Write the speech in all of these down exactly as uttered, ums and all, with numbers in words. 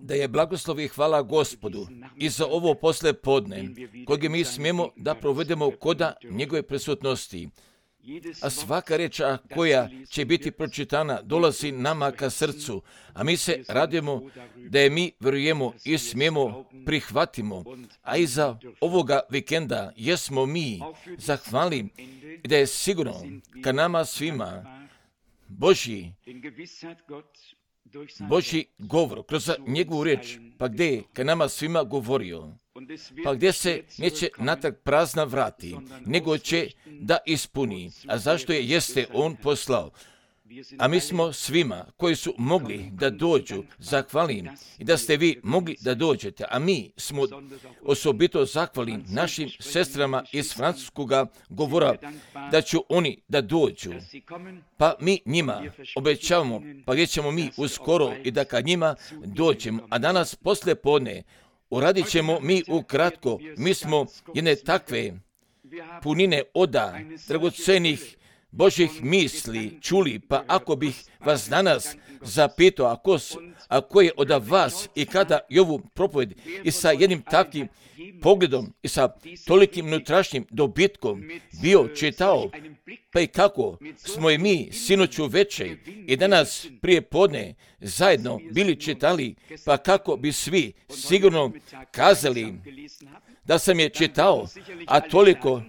Da je blagoslov i hvala Gospodu i za ovo posle podne, kojeg mi smijemo da provedemo koda njegove prisutnosti. A svaka reč koja će biti pročitana dolazi nama ka srcu, a mi se radimo da je mi vjerujemo i smijemo prihvatimo. A iza ovoga vikenda jesmo mi zahvali da je sigurno ka nama svima Božji Božji govor kroz njegovu reč, pa gdje je ka nama svima govorio, pa gdje se neće natrag prazna vrati, nego će da ispuni. A zašto je? Jeste on poslao. A mi smo svima koji su mogli da dođu, zahvalim i da ste vi mogli da dođete, a mi smo osobito zahvali našim sestrama iz francuskog govora da će oni da dođu. Pa mi njima obećavamo, pa gdje ćemo mi uskoro i da kad njima dođemo, a danas posle podne uradit ćemo mi ukratko, mi smo jedne takve punine oda, dragocenih Božih misli čuli, pa ako bih vas danas zapitao, ako, ako je od vas i kada i ovu propoved i sa jednim takvim pogledom i sa tolikim unutrašnjim dobitkom bio čitao, pa i kako smo i mi sinoću večer i danas prije podne zajedno bili čitali, pa kako bi svi sigurno kazali da sam je čitao, a toliko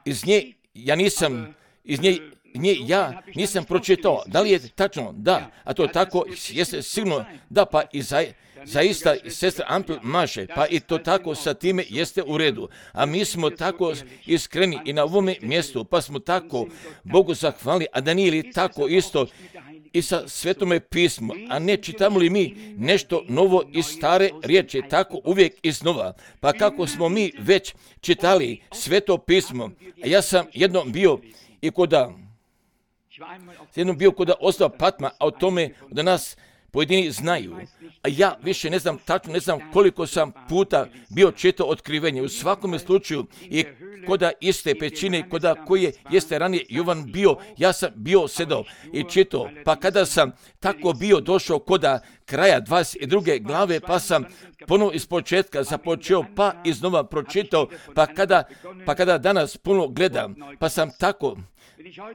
iz nje ja nisam iz nje, nje ja nisam pročitao. Da li je tačno? Da. A to tako jeste sigurno da, pa i za, zaista sestra Ampel maše, pa i to tako sa time jeste u redu. A mi smo tako iskreni i na ovome mjestu, pa smo tako Bogu zahvali, a da nije li tako isto i sa Svetome pismu, a ne čitamo li mi nešto novo iz stare riječi, tako uvijek iznova. Pa kako smo mi već čitali Sveto pismo, a ja sam jednom bio i koda, jednom bio koda ostao Patma, a o tome da nas pojedini znaju. A ja više ne znam tačno, ne znam koliko sam puta bio čitao otkrivenje. U svakom slučaju i koda iste pećine, koda koje jeste ranije Jovan bio, ja sam bio sedao i čitao. Pa kada sam tako bio došao koda kraja dvadeset druge glave, pa sam ponovo iz početka započeo, pa iznova pročitao, pa kada, pa kada danas puno gledam, pa sam tako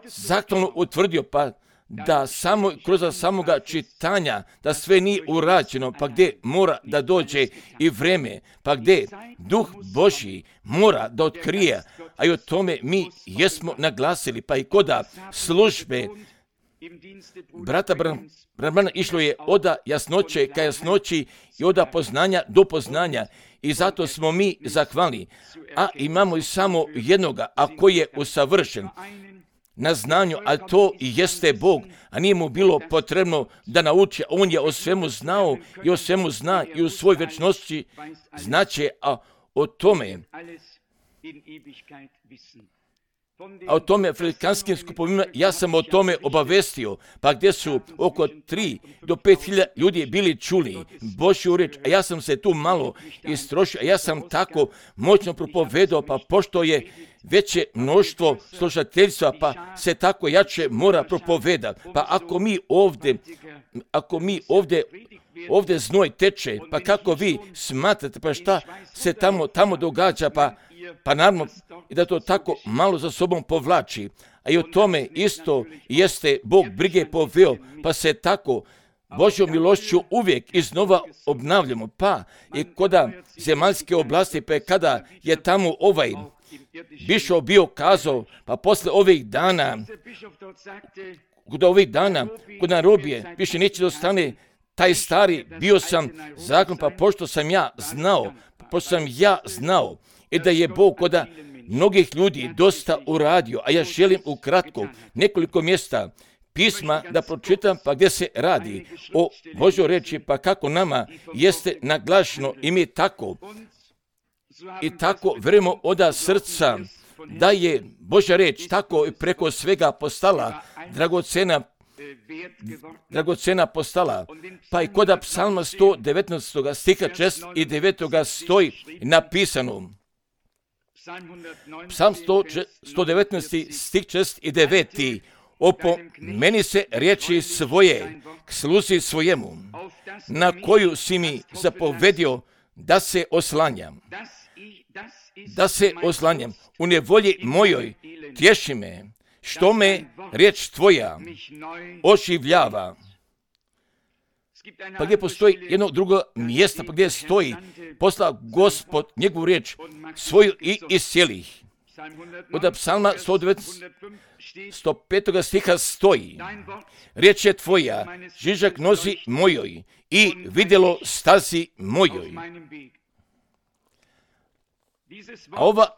zakladno utvrdio, pa da samo kroz samoga čitanja, da sve nije urađeno, pa gdje mora da dođe i vreme, pa gdje Duh Božji mora da otkrije, a i o tome mi jesmo naglasili, pa i koda službe brata Branana išlo je oda jasnoće ka jasnoći i oda poznanja do poznanja. I zato smo mi zahvalni, a imamo i samo jednoga, a koji je usavršen na znanju, a to i jeste Bog, a nije mu bilo potrebno da nauči, on je o svemu znao i o svemu zna i u svoj večnosti znaće, a o tome a o tome afrikanskim skupovima ja sam o tome obavestio, pa gdje su oko tri do pet hiljada ljudi bili čuli Božju reč, a ja sam se tu malo istrošio, a ja sam tako moćno propovedao, pa pošto je veće mnoštvo slušateljstva, pa se tako jače mora propoveda. Pa ako mi ovdje, ako mi ovdje, ovdje znoj teče, pa kako vi smatrate, pa šta se tamo, tamo događa, pa, pa naravno i da to tako malo za sobom povlači. A i o tome isto jeste Bog brige poveo, pa se tako Božjom milošću uvijek iznova obnavljamo. Pa i koda zemaljske oblasti, pa kada je tamo ovaj bišov bio kazao, pa posle ovih dana, kod ovih dana, kod narobije, više neće da ostane taj stari, bio sam zakon, pa pošto sam ja znao, pošto sam ja znao, i da je Bog koda mnogih ljudi dosta uradio, a ja želim ukratko nekoliko mjesta pisma da pročitam, pa gdje se radi o Božoj reči, pa kako nama jeste naglašeno i mi tako, i tako verujemo oda srca da je Božja reč tako i preko svega postala dragocena, dragocena postala. Pa i koda psalma sto devetnaestog stiha šest i devet stoji napisano. Psalm sto devetnaest stih šest i devet. opomeni se riječi svoje k sluzi svojemu, na koju si mi zapovedio da se oslanjam. Da se oslanjam. U nevolji mojoj tješi me, što me riječ tvoja oživljava. Pa gdje postoji jedno drugo mjesto, pa gdje stoji, poslao Gospod njegovu riječ svoju i iscijelih. Od psalma sto petoga stiha stoji: riječ je tvoja, žižak nozi mojoj i vidjelo stazi mojoj. A ova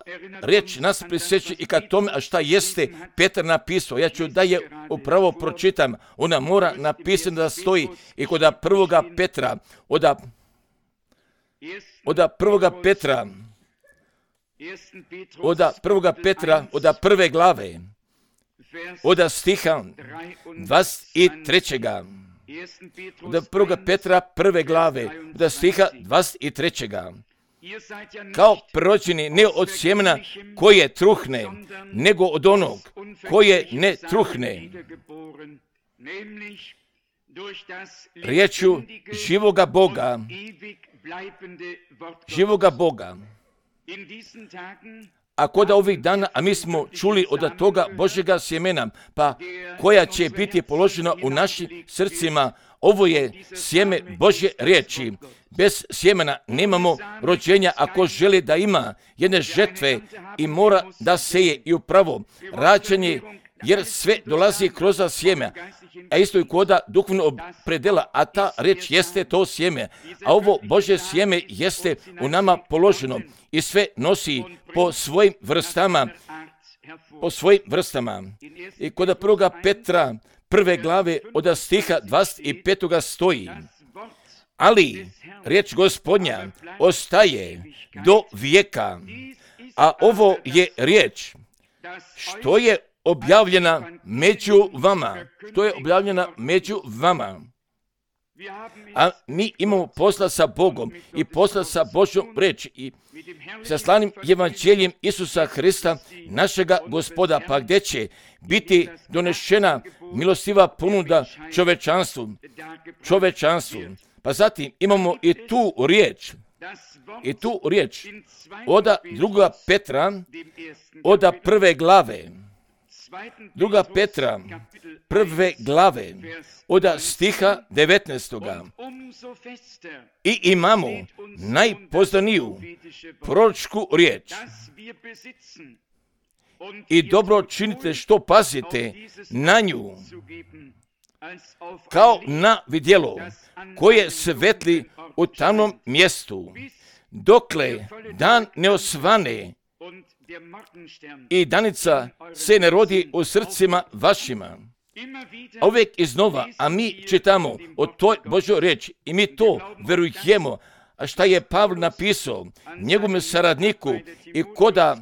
riječ nas prisjeća i ka tome, a šta jeste Petar napisao. Ja ću da je upravo pročitam. Ona mora napisati da stoji i kod prvoga Petra, od, od prvoga Petra, od prvoga Petra, od prve glave, od stiha dvadeset trećega. Od prvoga Petra prve glave, od stiha dvadeset trećega. Kao prođeni ne od sjemena koje truhne, nego od onog koje ne truhne, riječu živoga Boga, živoga Boga. A kod ovih dana, a mi smo čuli od toga Božjega sjemena, pa koja će biti položena u našim srcima, ovo je sjeme Božje riječi. Bez sjemena nemamo rođenja. Ako želi da ima jedne žetve i mora da seje i upravo rađanje, jer sve dolazi kroz sjeme, a isto i koda duhovno predela, a ta riječ jeste to sjeme. A ovo Božje sjeme jeste u nama položeno i sve nosi po svojim vrstama, po svojim vrstama. I kod prvoga Petra prve glave od stiha dvadeset petoga stoji: ali riječ Gospodnja ostaje do vijeka, a ovo je riječ što je objavljena među vama, što je objavljena među vama. A mi imamo posla sa Bogom i posla sa Božjom riječi i sa slanim evanđeljem Isusa Hrista, našega Gospoda, pa gdje će biti donešena milostiva ponuda čovečanstvu, čovečanstvu. Pa zatim imamo i tu riječ, i tu riječ od druga Petra, od prve glave, druga Petra, prve glave, od stiha devetnaestoga. I imamo najpoznaniju proročku riječ. I dobro činite što pazite na nju, kao na vidjelo koje svetli u tamnom mjestu, dokle dan ne osvane i danica se ne rodi u srcima vašima. A uvijek iznova, a mi čitamo o toj Božoj riječi i mi to verujemo. A šta je Pavle napisao njegovom saradniku i koda,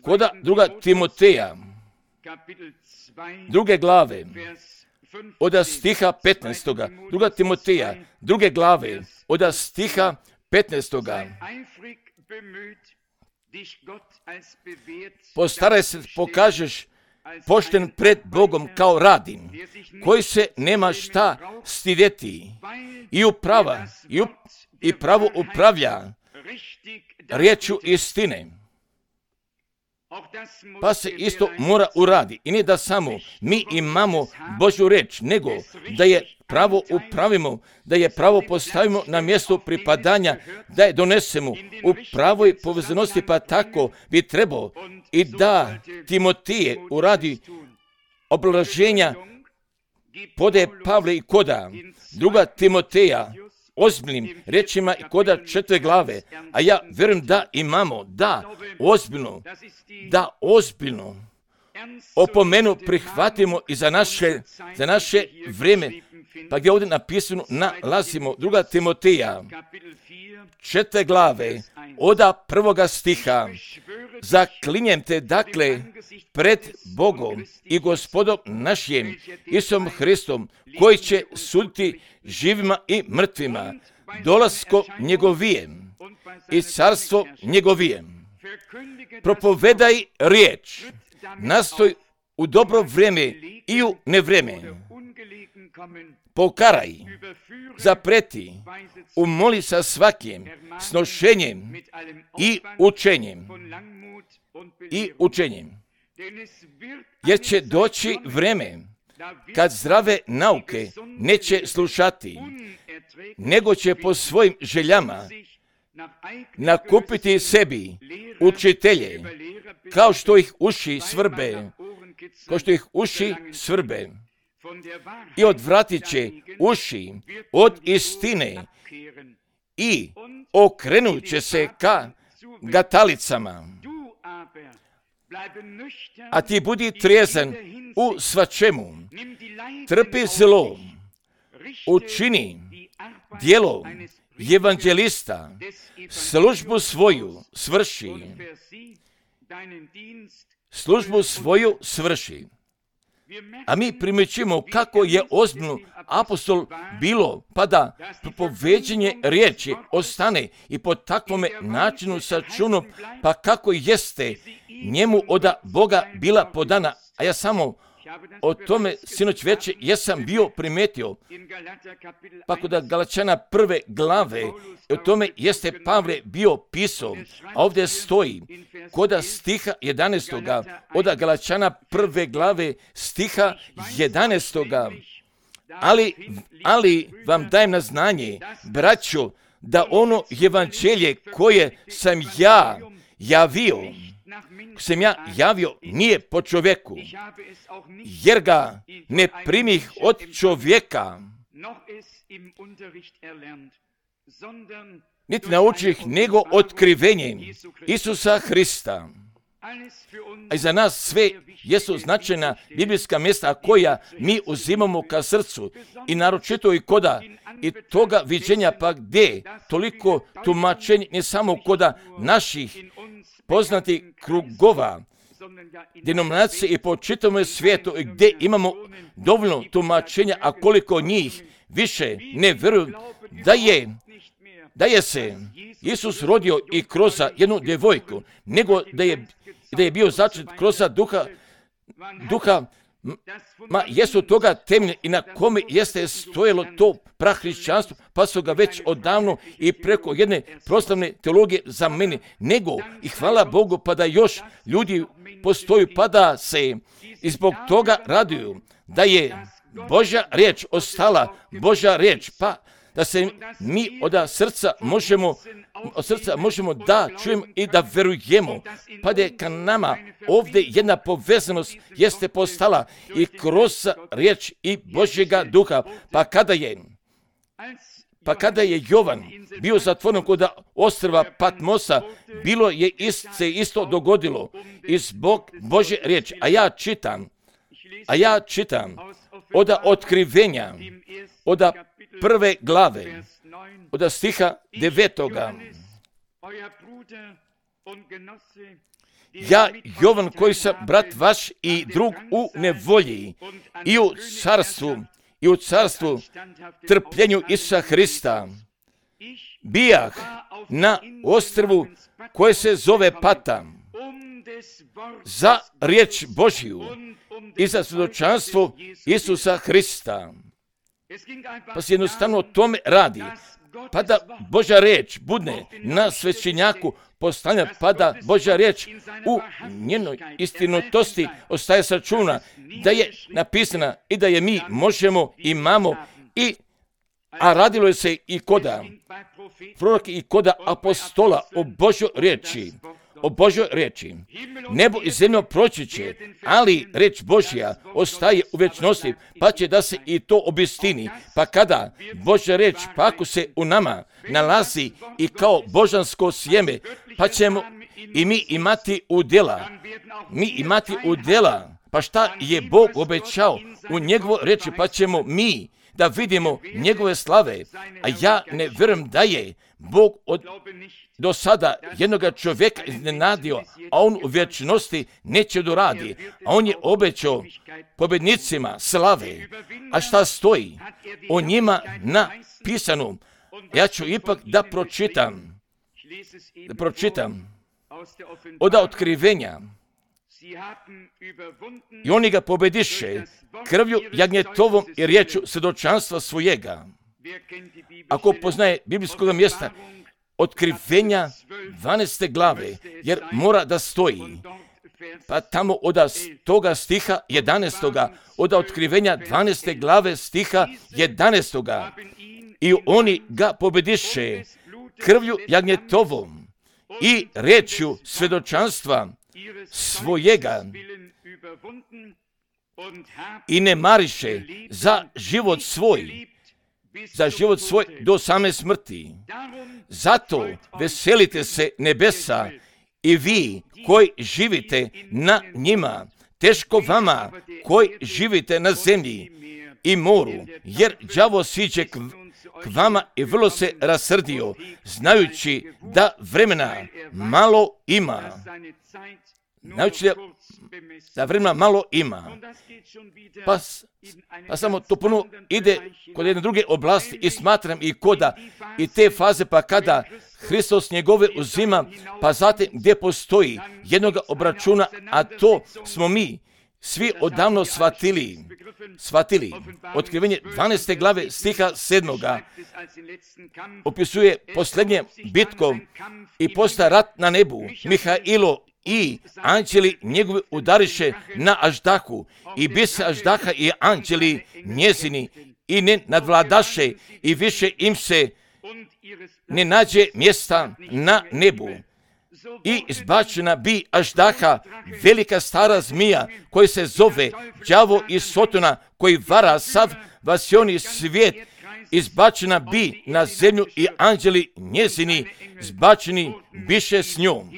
koda druga Timoteja, druge glave, od stiha petnaestoga. Druga Timoteja, druge glave, od stiha petnaestoga. Postaraj se, pokažeš pošten pred Bogom kao radin, koji se nema šta stidjeti i uprava, i, up, i pravo upravlja riječu istine. Pa se isto mora uradi. I ne da samo mi imamo Božju riječ, nego da je pravo upravimo, da je pravo postavimo na mjesto pripadanja, da je donesemo u pravoj povezanosti, pa tako bi trebao i da Timotije uradi oblaženja pode Pavle i koda druga Timoteja ozbiljnim rečima i koda četiri glave, a ja vjerujem da imamo, da ozbiljno, da ozbiljno opomenu prihvatimo i za naše, za naše vrijeme, pa gdje ovdje napisano nalazimo druga Timoteja, četiri glave, od prvoga stiha. Zaklinjem te dakle pred Bogom i Gospodom našim Isusom Hristom, koji će suditi živima i mrtvima, dolasko njegovijem i carstvo njegovijem. Propovedaj riječ, nastoj u dobro vrijeme i u nevrijeme. Pokaraj, zapreti, umoli sa svakim snošenjem i učenjem. I učenjem. Jer će doći vrijeme kad zdrave nauke neće slušati, nego će po svojim željama nakupiti sebi učitelje, kao što ih uši svrbe, kao što ih uši svrbe. I odvratit će uši od istine i okrenut će se ka gatalicama. A ti budi trijezan u svačemu, trpi zlo, učini djelo evanđelista, službu svoju svrši, službu svoju svrši. A mi primjećujemo kako je ozbiljno apostol bilo, pa da propoveđenje riječi ostane i po takvome načinu sačunom, pa kako jeste njemu od Boga bila podana. A ja samo o tome sinoć večer jesam bio primetio, pa kod Galačana prve glave, o tome jeste Pavle bio pisao, a ovdje stoji kod stiha jedanaestoga, od Galačana prve glave stiha jedanaestoga. Ali, ali vam dajem na znanje, braćo, da ono evanđelje koje sam ja javio, sam ja javio nije po čovjeku, jer ga ne primih od čovjeka, niti naučih, nego otkrivenjem Isusa Hrista. A i za nas sve jesu značajna biblijska mjesta koja mi uzimamo ka srcu i naročito i koda i toga viđenja, pa gdje toliko tumačenja ne samo koda naših poznatih krugova, denominacije i po čitavom svijetu gdje imamo dovoljno tumačenja, a koliko njih više ne vjeruju da je da je se Isus rodio i kroz jednu djevojku, nego da je, da je bio začet kroz duha, duha ma jesu toga temelj i na kome jeste stojelo to prahrišćanstvo, pa su ga već odavno i preko jedne proslavne teologije zamenili, nego i hvala Bogu pa da još ljudi postoju, pa da se i zbog toga raduju, da je Božja riječ ostala, Božja riječ, pa da se mi od srca možemo, od srca možemo da čujemo i da verujemo, pa da je ka nama ovdje jedna povezanost jeste postala i kroz riječ i Božjega duha, pa kada je, pa kada je Jovan bio zatvoren kod ostrva Patmosa, bilo je ist, se isto dogodilo i zbog Božje riječi, a ja čitam, a ja čitam od otkrivenja, od prve glave, od stiha devetoga. Ja, Jovan, koji sam brat vaš i drug u nevolji i u carstvu, i u carstvu trpljenju Isusa Hrista, bijah na ostrvu koje se zove Pata, za riječ Božju i za svjedočanstvo Isusa Hrista. Pa se jednostavno o tome radi, pa da Božja riječ budne na svećenjaku postavljena, pa da Božja riječ u njenoj istinitosti ostaje sačuna, da je napisana i da je mi možemo, imamo, i, a radilo je se i koda proroka i koda apostola o Božjoj riječi, o Božjoj riječi. Nebo i zemlja proći će, ali riječ Božja ostaje u vječnosti, pa će da se i to obistini. Pa kada Božja riječ, pa ako se u nama nalazi i kao božansko sjeme, pa ćemo i mi imati udjela, mi imati udjela, pa šta je Bog obećao u njegovoj riječi, pa ćemo mi da vidimo njegove slave, a ja ne vjerujem da je Bog od do sada jednoga čovjeka iznenadio, a on u vječnosti neće doradi, a on je obećao pobjednicima slave. A šta stoji o njima napisano? Ja ću ipak da pročitam, da pročitam od otkrivenja, I oni ga pobediše krvlju jagnjetovom i riječu svjedočanstva svojega. Ako poznaje biblijskog mjesta, Otkrivenja dvanaeste glave, jer mora da stoji. Pa tamo od toga stiha jedanaestoga, od Otkrivenja dvanaeste glave stiha jedanaestoga. I oni ga pobediše krvlju jagnjetovom i riječju svjedočanstva svojega i ne mariše za život svoj, za život svoj do same smrti. Zato veselite se nebesa i vi koji živite na njima, teško vama koji živite na zemlji i moru, jer đavo siđe k, k vama i vrlo se rasrdio, znajući da vremena malo ima. Znajući da, da vremena malo ima. Pa, pa samo to puno ide kod jedne druge oblasti i smatram i koda i te faze pa kada Hristos njegove uzima, pa zatim gdje postoji jednoga obračuna, a to smo mi svi odavno shvatili. Shvatili. Otkrivenje dvanaeste glave stiha sedmoga opisuje posljednje bitkom i posta rat na nebu. Mihailo i anđeli njegovi udariše na Aždahu i bise Aždaha i anđeli njezini i ne nadvladaše i više im se ne nađe mjesta na nebu. I izbačena bi Aždaha, velika stara zmija, koji se zove đavo i Sotona, koji vara sav vasioni svijet, izbačena bi na zemlju i anđeli njezini, zbačeni biše s njom.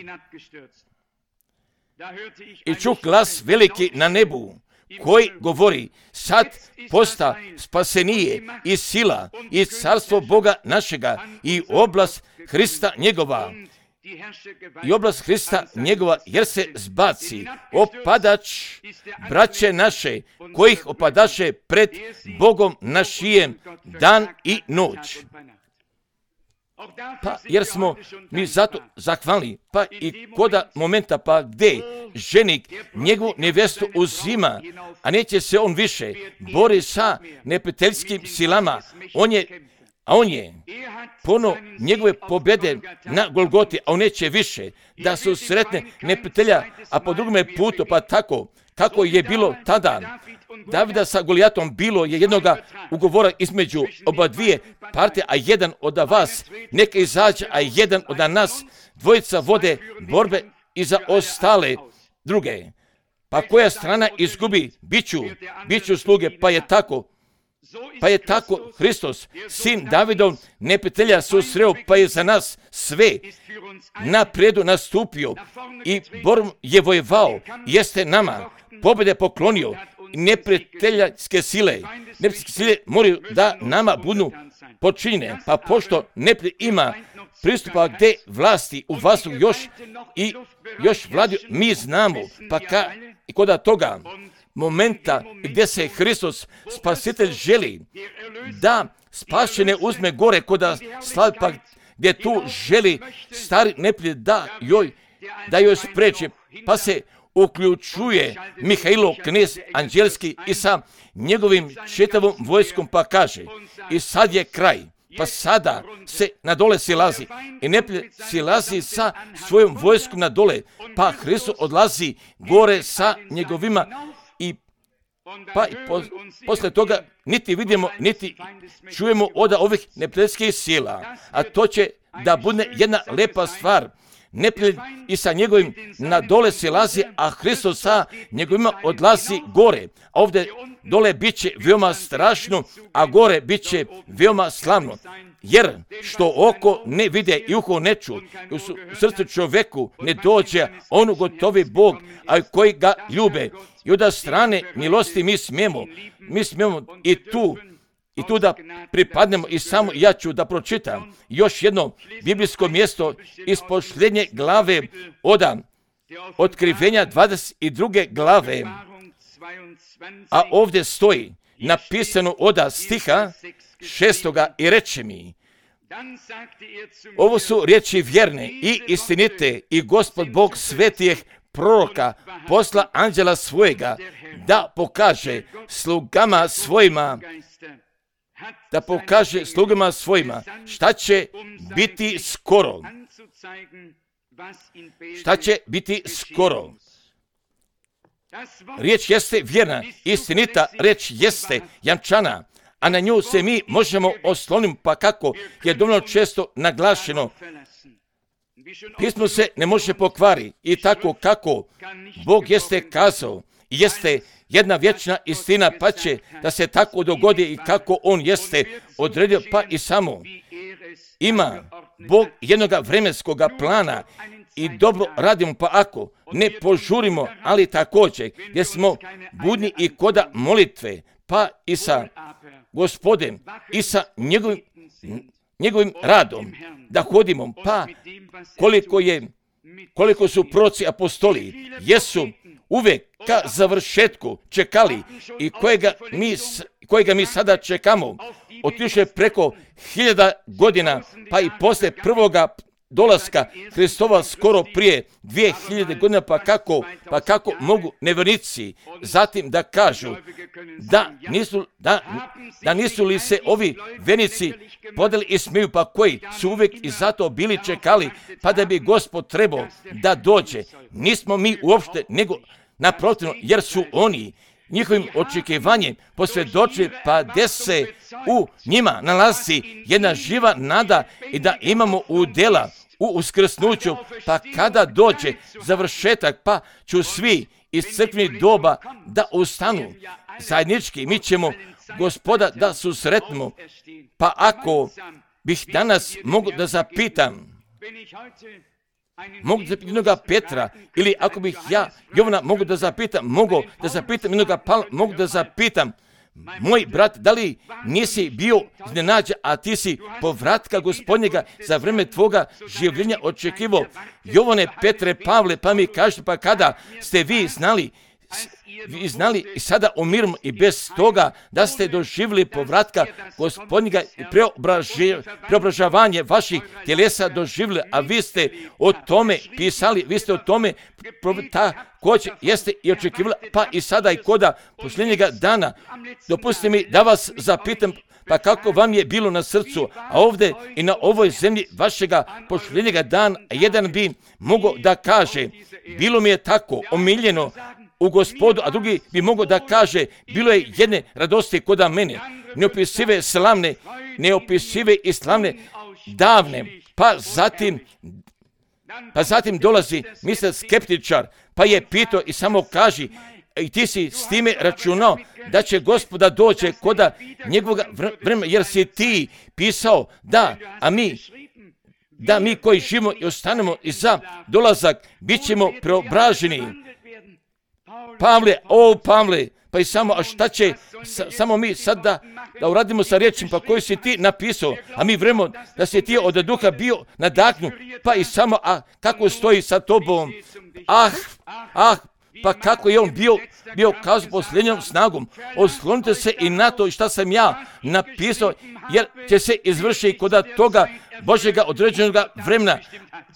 I čuh glas veliki na nebu, koji govori, sad posta spasenije i sila i carstvo Boga našega i oblast Hrista njegova. I oblast Hrista njegova, jer se zbaci opadač braće naše, kojih opadaše pred Bogom našijem dan i noć. Pa jer smo mi zato zahvalni, pa i koda momenta pa gdje ženik njegovu nevjestu uzima, a neće se on više bori sa neprijateljskim silama, on je, a on je puno njegove pobjede na Golgoti, a on neće više da su sretne neprijatelja, a po drugome putu pa tako, kako je bilo tada. Davida sa Golijatom bilo je jednoga ugovora između oba dvije partije, a jedan od vas neka izađe, a jedan od nas, dvojica vode borbe i za ostale druge. Pa koja strana izgubi, biću, biću sluge, pa je tako. Pa je tako Hristos, sin Davidov, neprijatelja susreo, pa je za nas sve napredu nastupio i borbom je vojevao, jeste nama pobjede poklonio. Neprijateljske sile, neprijateljske sile moraju da nama budu počinjene, pa pošto neprijatelj ima pristupa gdje vlasti u vasu još i još vladi, mi znamo, pa ka, i koda toga momenta gdje se Hristos spasitelj želi da spašene uzme gore koda slavi, pa gdje tu želi stari neprijatelj da joj, da joj spreče, pa se uključuje Mihailo, knez anđelski, i sa njegovim čitavom vojskom, pa kaže, i sad je kraj, pa sada se na dole silazi i neprijatelj silazi sa svojom vojskom na dole, pa Hristos odlazi gore sa njegovima i pa i po, posle toga niti vidimo, niti čujemo od ovih neprijateljskih sila, a to će da bude jedna lepa stvar. Neprijatelj i sa njegovim na dole silazi, a Hristos sa njegovima odlazi gore. A ovdje dole bit će veoma strašno, a gore bit će veoma slavno. Jer što oko ne vide i uho ne ču, i u srcu čoveku ne dođe, on ugotovi Bog, a koji ga ljube. I od strane milosti mi smijemo, mi smijemo i tu, i tu da pripadnemo, i samo ja ću da pročitam još jedno biblijsko mjesto iz posljednje glave od Otkrivenja dvadeset druge glave, a ovdje stoji napisano od stiha šestoga i reče mi, ovo su riječi vjerne i istinite i Gospod Bog svetijeh proroka posla anđela svojega da pokaže slugama svojima, da pokaže slugama svojima šta će biti skoro. Šta će biti skoro. Riječ jeste vjerna, istinita, riječ jeste jamčana, a na nju se mi možemo osloniti, pa kako je dovoljno često naglašeno. Pismo se ne može pokvari i tako kako Bog jeste kazao, jeste jedna vječna istina, pa će da se tako dogodi i kako On jeste odredio, pa i samo ima Bog jednog vremenskog plana i dobro radimo, pa ako ne požurimo, ali također gdje smo budni i koda molitve, pa i sa Gospodem i sa njegovim, njegovim radom da hodimo, pa koliko je koliko su proroci apostoli jesu uvijek ka završetku čekali i kojega mi, kojega mi sada čekamo otišle preko hiljada godina, pa i poslije prvoga dolaska Hristova skoro prije dvije hiljade godina, pa kako, pa kako mogu nevjernici zatim da kažu da nisu, da, da nisu li se ovi vjernici podali i smiju, pa koji su uvijek i zato bili čekali, pa da bi Gospod trebao da dođe. Nismo mi uopšte, nego naprotiv, jer su oni njihovim očekivanjem posvjedočili, pa gdje se u njima nalazi jedna živa nada i da imamo udjela u uskrsnuću, pa kada dođe završetak, pa ću svi iz crkvenih doba da ustanu zajednički, mi ćemo Gospoda da susretnemo. Pa ako bih danas mogu da zapitam, mogu da zapitam jednoga Petra, ili ako bih ja Jovana mogu da zapitam, mogu da zapitam jednoga Pavla, mogu da zapitam, moj brat, da li nisi bio iznenađen, a ti si povratka Gospodnjega za vrijeme tvoga življenja očekivao? Jovane, Petre, Pavle, pa mi kažete, pa kada ste vi znali, vi znali i sada umirimo i bez toga da ste doživjeli povratka Gospodnjega i preobražavanje vaših tjelesa doživjeli, a vi ste o tome pisali, vi ste o tome također jeste i očekivali, pa i sada i koda posljednjega dana. Dopustite mi da vas zapitam, pa kako vam je bilo na srcu, a ovdje i na ovoj zemlji vašega posljednjega dana, jedan bi mogao da kaže, bilo mi je tako omiljeno u Gospodu, a drugi bi mogao da kaže, bilo je jedne radosti koda mene, neopisive slavne, neopisive i slavne davne, pa zatim, pa zatim dolazi mister skeptičar, pa je pitao i samo kaži, i ti si s time računao da će Gospoda dođe koda njegovog vremena, jer si ti pisao da, a mi, da mi koji živimo i ostanemo i za dolazak, bit ćemo preobraženi. Pavle, o Pavle, pa i samo, a šta će sa, samo mi sad da, da uradimo sa riječima, pa koju si ti napisao, a mi vremo da si ti od duha bio nadahnu, pa i samo, a kako stoji sa tobom, ah, ah, pa kako je on bio, bio kazao posljednjom snagom, oslonite se i na to šta sam ja napisao, jer će se izvršiti kod toga Božjega određenog vremena,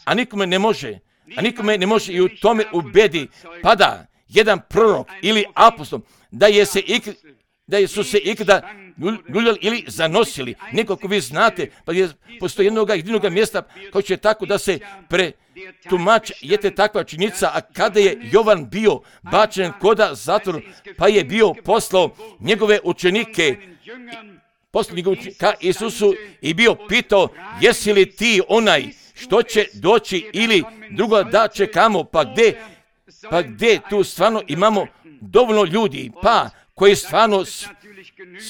a nikome ne može, a nikome ne može i u tome ubedi, pada jedan prorok ili apostol, da je se ik, da su se ikada ljuljali ili zanosili. Nekako vi znate, pa je postoji jednog jedinog mjesta koji će tako da se pretumači, jete takva činjenica, a kada je Jovan bio bačen koda zatvor, pa je bio poslao njegove učenike, poslao njegove učenike ka Isusu i bio pitao, jesi li ti onaj što će doći ili drugo da čekamo, pa gdje Pa gdje tu stvarno imamo dovoljno ljudi, pa koji stvarno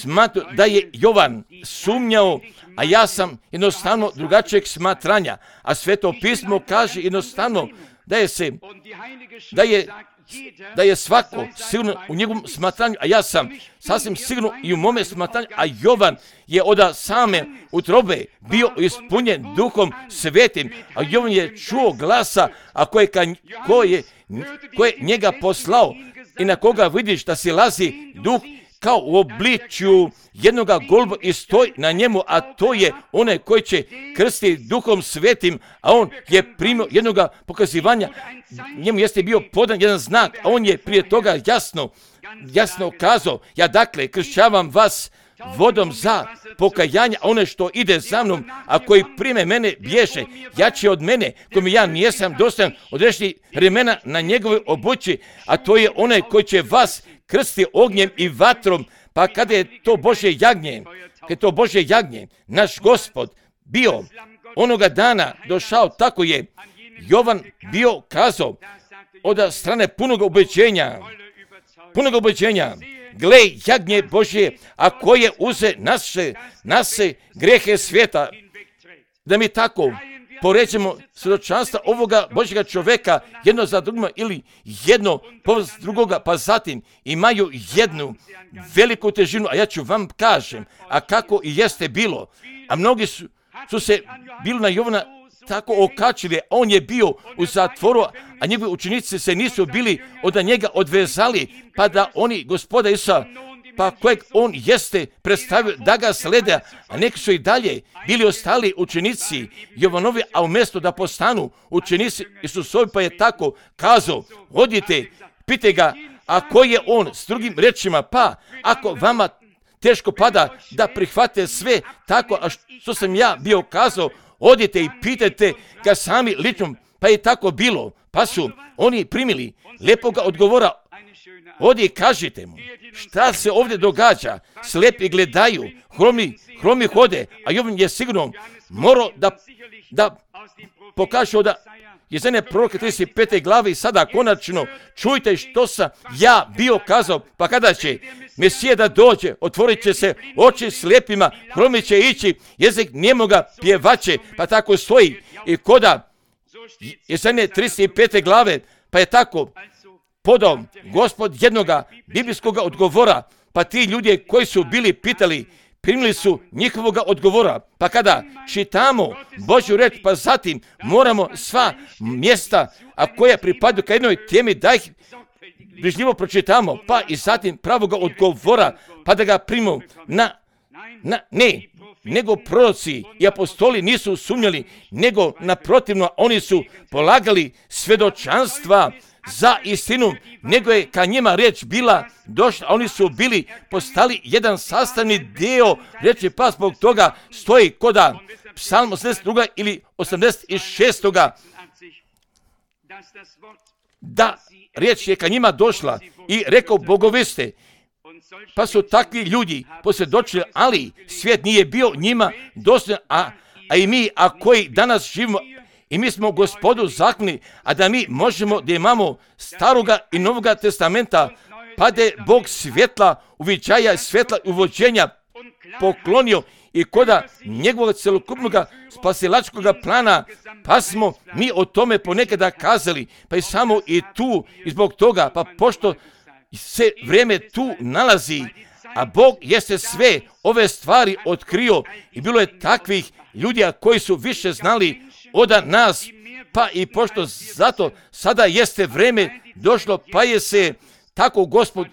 smatru da je Jovan sumnjao, a ja sam jednostavno drugačijeg smatranja, a Sveto pismo kaže jednostavno da je se, da je, da je svako sigurno u njegovom smatranju, a ja sam sasvim sigurno i u mome smatranju, a Jovan je od same utrobe bio ispunjen Duhom Svetim, a Jovan je čuo glasa, a koje, ko je, ko je njega poslao i na koga vidiš da si lazi Duh, kao u obličju jednoga goluba i stoji na njemu, a to je onaj koji će krstiti Duhom Svetim, a on je primio jednoga pokazivanja, njemu jeste bio podan jedan znak, a on je prije toga jasno, jasno kazao, ja dakle kršćavam vas vodom za pokajanje, a one što ide za mnom, a koji prime mene bježe, jači od mene, kome ja nijesam dostojan odrešiti remena na njegove obući, a to je onaj koji će vas krstiti ognjem i vatrom. Pa kada je to Božje jagnje, kada je to Božje jagnje, naš Gospod bio onoga dana došao, tako je Jovan bio kazao od strane punog ubeđenja, punog ubeđenja, gle jagnje Božje, a koje uze naše, naše grehe svijeta, da mi tako poređemo svjedočanstva ovoga Božjega čovjeka jedno za drugima ili jedno povrst drugoga, pa zatim imaju jednu veliku težinu, a ja ću vam kažem, a kako i jeste bilo, a mnogi su, su se bili na Jovana tako okačili, on je bio u zatvoru, a njegovi učenici se nisu bili od njega odvezali, pa da oni gospoda Isusa, pa kojeg on jeste predstavio da ga slede, a neki su i dalje bili ostali učenici Jovanovi, a umjesto da postanu učenici Isusovi, pa je tako kazao, odite, pite ga, a ko je on, s drugim rečima, pa ako vama teško pada da prihvate sve tako, a što sam ja bio kazao, odite i pitajte ga sami lično, pa je tako bilo, pa su oni primili lepoga odgovora, odi kažite mu, šta se ovdje događa, slepi gledaju, hromi, hromi hode, a Jovan je sigurno morao da, da pokaže da Jesaja proroka trideset pete glave i sada konačno čujte što sam ja bio kazao, pa kada će Mesija da dođe, otvorit će se oči slijepima, hromi će ići, jezik njemoga pjevaće, pa tako stoji i koda Jesaja trideset pete glave, pa je tako podao Gospod jednoga biblijskoga odgovora, pa ti ljudi koji su bili pitali, primili su njihovoga odgovora. Pa kada čitamo Božju reč, pa zatim moramo sva mjesta, a koja pripadaju ka jednoj temi, da ih brižljivo pročitamo, pa i zatim pravoga odgovora, pa da ga primimo na, na ne, nego proroci i apostoli nisu sumnjali, nego naprotivno oni su polagali svjedočanstva za istinu, nego je ka njima riječ bila došla, a oni su bili postali jedan sastavni dio riječi, pa zbog toga stoji koda Psalm osamdeset dva ili osamdeset šest da riječ je ka njima došla i rekao bogoviste, pa su takvi ljudi posvjedočili, ali svijet nije bio njima dostojan, a, a i mi, a koji danas živimo, i mi smo Gospodu zakoni, a da mi možemo da imamo staroga i novoga testamenta, pa da je Bog svjetla, uviđaja, svjetla i uvođenja poklonio i koda njegovog celokupnog spasilačkog plana, pa smo mi o tome ponekada kazali, pa i samo i tu, i zbog toga, pa pošto se vrijeme tu nalazi, a Bog jeste sve ove stvari otkrio i bilo je takvih ljudi koji su više znali od nas, pa i pošto zato sada jeste vrijeme došlo, pa je se tako Gospod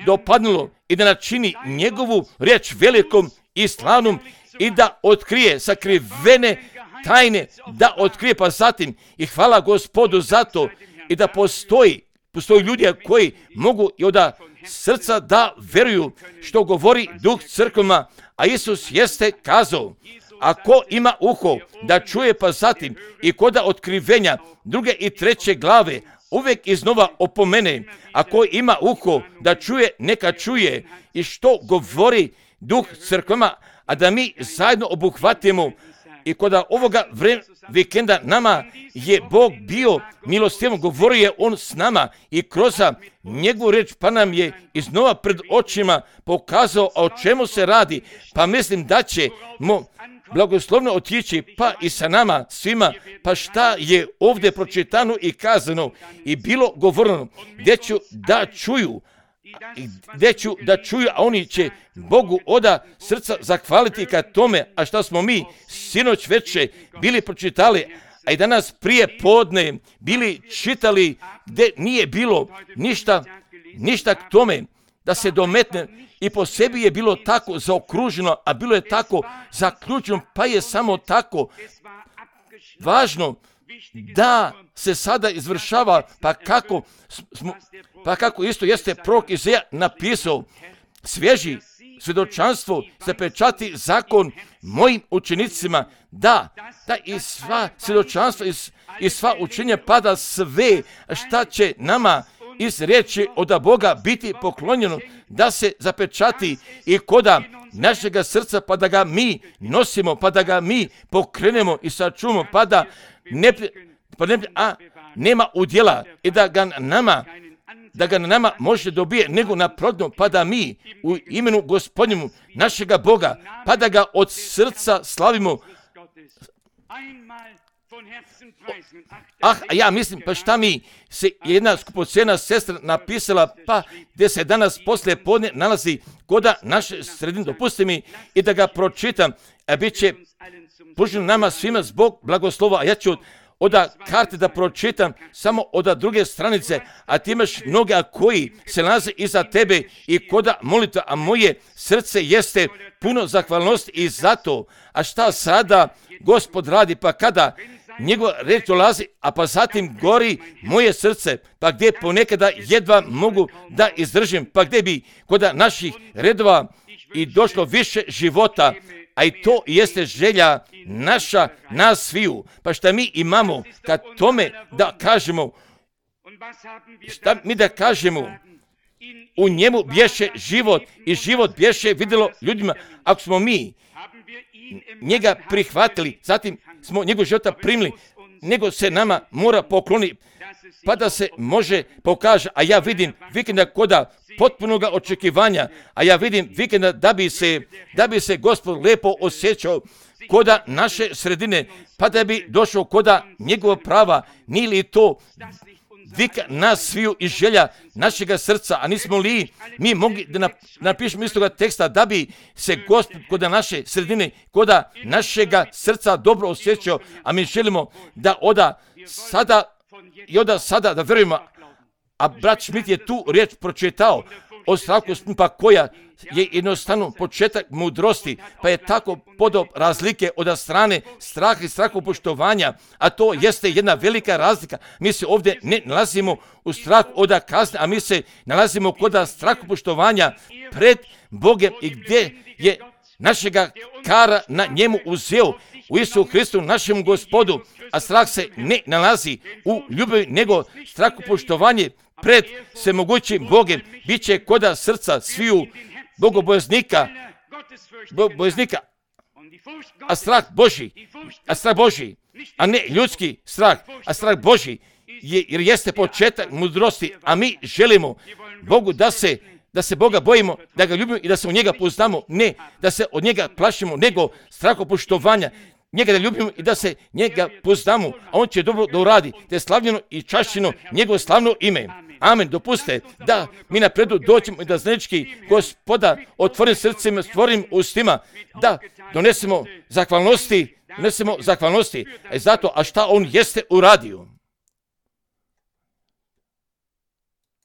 dopadnulo i da načini njegovu riječ velikom i slavnom i da otkrije sakrivene tajne, da otkrije, pa zatim i hvala Gospodu za to i da postoji, postoji ljudi koji mogu i od srca da veruju što govori Duh crkvama, a Isus jeste kazao, ako ima uho da čuje, pa zatim i koda otkrivenja druge i treće glave uvijek iznova opomene, ako ima uho da čuje, neka čuje i što govori Duh crkvama, a da mi zajedno obuhvatimo i koda ovoga vre, vikenda nama je Bog bio milostivom, govorio je On s nama i kroz njegovu reč, pa nam je iznova pred očima pokazao o čemu se radi, pa mislim da ćemo blagoslovno otići, pa i sa nama svima, pa šta je ovdje pročitano i kazano i bilo govoreno, gdje ću da čuju, gdje ću da čuju, a oni će Bogu oda srca zahvaliti ka tome, a šta smo mi sinoć veče bili pročitali, a i danas prije podne bili čitali, gdje nije bilo ništa, ništa k tome da se dometne i po sebi je bilo tako zaokruženo, a bilo je tako zaključeno, pa je samo tako važno da se sada izvršava, pa kako, smo, pa kako isto jeste prorok Izaja napisao, svježi svjedočanstvo se pečati zakon mojim učenicima, da, da i sva svjedočanstva i, i sva učenja pada sve šta će nama iz riječi od Boga biti poklonjeno, da se zapečati i koda našega srca, pa da ga mi nosimo, pa da ga mi pokrenemo i sačuvamo, pa da ne, pa ne, a nema udjela i da ga nama da ga na nama može dobije nego naprotivno, pa da mi u imenu Gospodnjemu našega Boga, pa da ga od srca slavimo. Ah, a ja mislim, pa šta mi se jedna skupocjena sestra napisala, pa gdje se danas poslije podne nalazi koda naše sredine, dopusti mi i da ga pročitam, a bit će poželjno nama svima zbog blagoslova, a ja ću od karte da pročitam samo od druge stranice, a ti imaš mnoge koji se nalaze iza tebe i koda molita, a moje srce jeste puno zahvalnosti i zato, a šta sada Gospod radi, pa kada njegova reč dolazi, a pa zatim gori moje srce, pa gdje ponekada jedva mogu da izdržim, pa gdje bi kod naših redova i došlo više života, a i to jeste želja naša, nas sviju. Pa šta mi imamo kad tome da kažemo, šta mi da kažemo, u njemu bješe život i život bješe vidjelo ljudima. Ako smo mi njega prihvatili, zatim smo njegov života primili, nego se nama mora pokloniti, pa da se može pokaže, a ja vidim vikenda koda potpunog očekivanja, a ja vidim vikenda da bi se, da bi se Gospod lijepo osjećao koda naše sredine, pa da bi došao koda njegova prava, nije li to vika nas sviju i želja našega srca, a nismo li mi mogli da napišemo istoga teksta da bi se Gospod koda naše sredine, koda našega srca dobro osjećao, a mi želimo da oda sada i oda sada da vjerujemo, a brat Schmidt je tu riječ pročitao o strahu, pa koja je jednostavno početak mudrosti, pa je tako podob razlike od strane straha i strahopoštovanja, a to jeste jedna velika razlika. Mi se ovdje ne nalazimo u strahu od kazne, a mi se nalazimo kod strahopoštovanja pred Bogem i gdje je našega kara na njemu uzeo u Isusu Hristu, našem Gospodu, a strah se ne nalazi u ljubavi, nego strahopoštovanje pred svemogućim Bogem bit će koda srca sviju bogobojaznika, bojaznika, a strah Božji, a strah Božji, a ne ljudski strah, a strah Božji, je, jer jeste početak mudrosti, a mi želimo Bogu da se da se Boga bojimo, da ga ljubimo i da se u njega poznamo, ne da se od njega plašimo, nego strahopoštovanja, njega da ljubimo i da se njega poznamo, a on će dobro da uradi, da je slavljeno i čašćeno njegovo slavno ime. Amen. Dopuste da mi napredu dođemo i da znački Gospoda otvorim srcima, stvorim ustima, da donesemo zahvalnosti, donesemo zahvalnosti, a zato, a šta on jeste uradio.